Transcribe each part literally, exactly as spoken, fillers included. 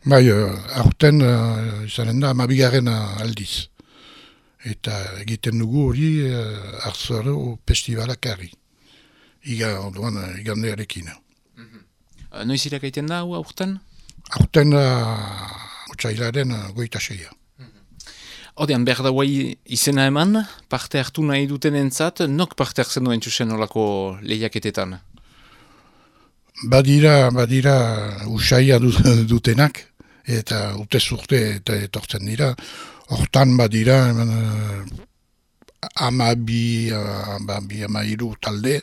Bai, uh, aurten uh, izanen da amabigarren aldiz. Eta egiten dugu hori uh, Arzaro festivalak harri. Iga, orduan, uh, igandearekin. Mm-hmm. Noiz irakaiten da, hau aurten? Aurten da uh, otsailaren uh, goita seia. Odean, behar da guai izena eman, parte hartu nahi duten entzat, nok parte hartzen duen txusen olako lehiaketetan? Badira, badira usaia dutenak, eta urte zurte eta etortzen dira. Hortan badira, uh, amabi, amabi, amairu talde,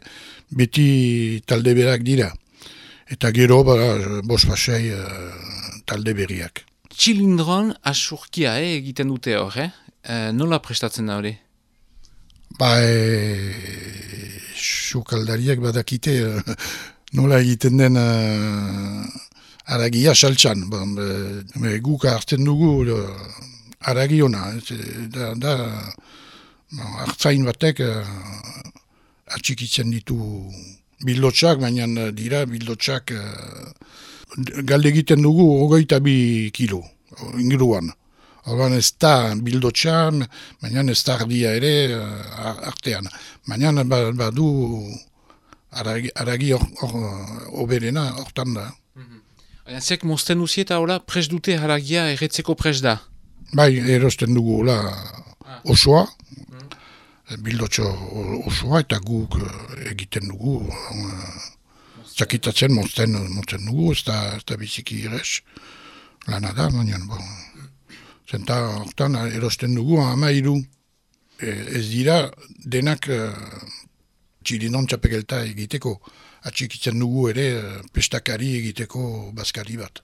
beti talde berak dira. Eta gero, bada, bos basei uh, talde berriak. Txilindron asurkia eh, egiten dute hor, eh? E, nola prestatzen da hori? Ba, e, sukaldariak badakite uh, nola egiten den uh, aragia saltsan. Ba, e, guk hartzen dugu uh, aragiona. Da, da no, hartzain batek uh, atxikitzen ditu bildotxak, baina dira bildotxak uh, galde egiten dugu hogeita bi kilo, inguruan. Horban ez da bildotxan, baina ez da ardia ere uh, artean. Baina badu aragi, aragi oberena hortan da. Mm-hmm. Zek mozten duzi eta hola pres dute haragia erretzeko pres da? Bai, erosten dugu hola ah. osoa, mm-hmm. bildotxo osoa eta guk egiten dugu. Uh, Zakitatzen mozten, mozten dugu, ez da, da biziki irez. Lana da, baina, bon. Zenta, hortan, erosten dugu, amairu. E, ez dira, denak uh, txilindon txapegelta egiteko. Atxikitzen dugu ere, pestakari egiteko bazkari bat.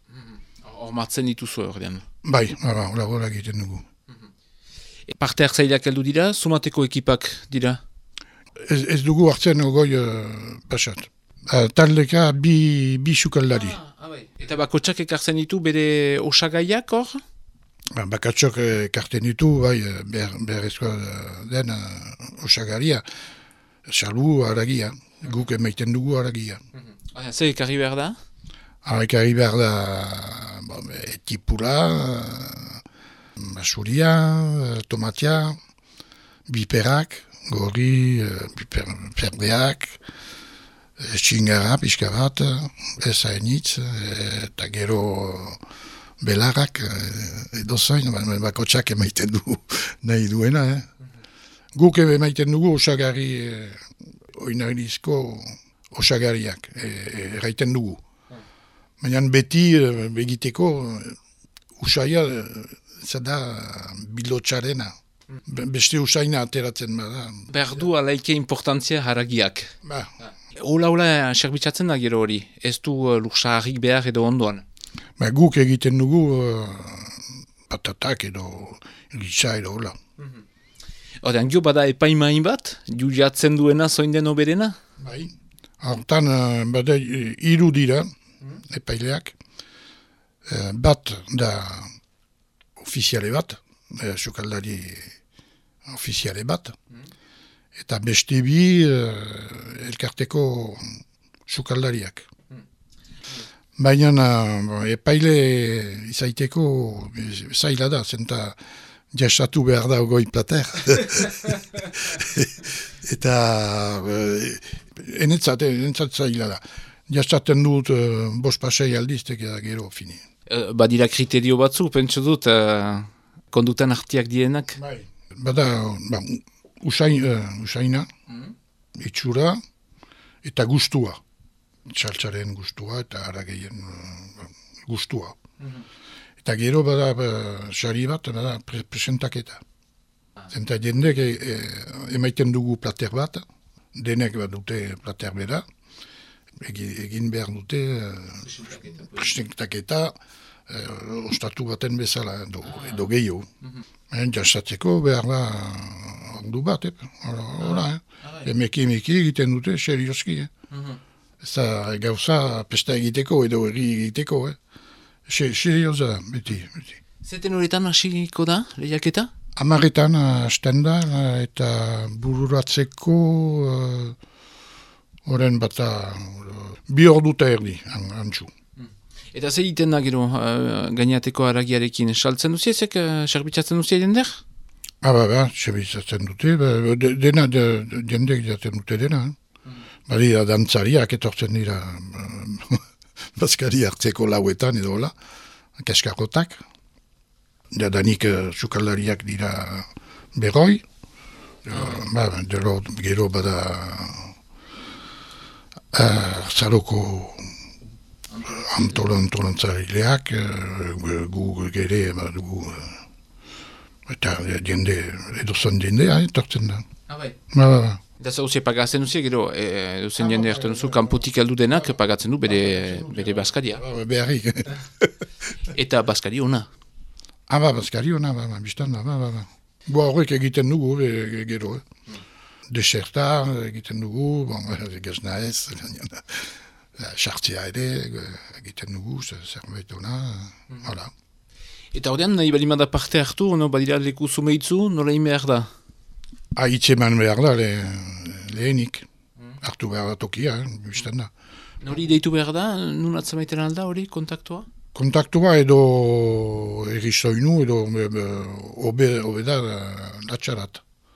Hor matzen dituzu ordean? Bai, hola, hola egiten dugu. E, parte hartzaileak heldu dira, sumateko ekipak dira? Ez, ez dugu hartzen ogoi uh, pasat. Uh, taldeka bi, bi sukaldari. Ah, ah, bai. Eta bakotxak ekartzen ditu bere osagaiak hor? Ba, bakotxak ekartzen ditu, bai, behar, beharrezkoa den uh, osagaria. Salu haragia, guk emaiten dugu haragia. Mm-hmm. Ah, zer ekarri behar da? Ah, ekarri behar da bon, etipula, uh, masuria, uh, tomatia, biperak, gorri, uh, biper, perdeak, Txingara, pixka bat, ez hainitz, eta gero belarrak, edo zain, bakotxak emaiten du nahi duena. Eh? Mm-hmm. Guk emaiten dugu osagari, oinarizko osagariak, erraiten dugu. Mm. Baina beti begiteko, usaia, zada bildotxarena. Mm. Beste usaina ateratzen bada. Berdu alaike importantzia haragiak. Ba. Ah. Ola, ola, serbitzatzen da gero hori, ez du uh, luksaharrik behar edo ondoan? Ba, guk egiten dugu uh, patatak edo gisa edo hola. Mm-hmm. Odean, gio bada epaimain bat, juliatzen duena zoin den oberena? Bai, hortan uh, bada hiru dira mm-hmm. epaileak, uh, bat da ofiziale bat, uh, sukaldari ofiziale bat, mm-hmm. eta beste bi uh, elkarteko sukaldariak. Hmm. Baina uh, epaile izaiteko zaila da, zenta jasatu behar da ogoi plater. Eta uh, enetzat, enetzat zaila da. Jasaten dut uh, bos pasei aldiztek da gero fini. Uh, badira kriterio batzu, pentsu dut, uh, kondutan artiak dienak? Bai. Bada, ba, Usain, uh, usaina, mm-hmm. itxura eta gustua. Txaltzaren gustua eta harageien uh, gustua. Mm-hmm. Eta gero bada sari uh, bat, bada pre presentaketa. Ah. Zenta jendek e, e, emaiten dugu plater bat, denek bat dute plater bera, egin, egin behar dute uh, presentaketa uh, ostatu baten bezala edo, ah. edo gehiago. Mm-hmm. Jasatzeko behar da ordu bat, hola, eh? Emeki emeki egiten dute, serioski, eh? Mm-hmm. Ez da gauza pesta egiteko edo erri egiteko, eh? Serioza da, beti, beti. Zeten horretan hasiko da, lehiaketa? Amaretan hasten da, eta bururatzeko horren uh, bata uh, bi orduta erdi, antxu. Eta zer egiten da gero, uh, gainateko haragiarekin, saltzen duziezek, uh, serbitzatzen duzie jender? Ah, ba, ba, serbitzatzen dute, ba, de, dena, de, de, jendek jaten dute dena. Mm. Bari, dantzariak etortzen dira, bazkari hartzeko lauetan edo hola, kaskarotak. Da, danik uh, sukaldariak dira berroi. Uh, ba, gero, gero bada uh, zaroko antolontzarileak, uh, gu gere, ba, dugu, uh, eta jende, edozan jendea, etortzen da. Ah, bai. Ba, ba, ba. Eta zauze pagatzen duzie, gero, e, duzen jende hartzen duzu, kanpotik aldu denak pagatzen du bere, bere baskaria. Ba, beharrik. Eta baskari ona. Ah, ba, baskari ona, ba, ba, biztan da, ba, ba, ba. Bo, horrek egiten dugu, e, gero, eh. Deserta egiten dugu, bon, gazna ez, sartzea ere egiten dugu, zerbait ona, hala. Eta horrean, nahi balimada parte hartu, no, badira leku zumeitzu, nola ime behar da? Ah, itzeman behar da, le, lehenik, hartu behar da tokia, eh, biztan da. Nori deitu behar da, nun atzamaiten alda hori, kontaktua? Kontaktua edo errizoinu edo obe, obe da latxarat.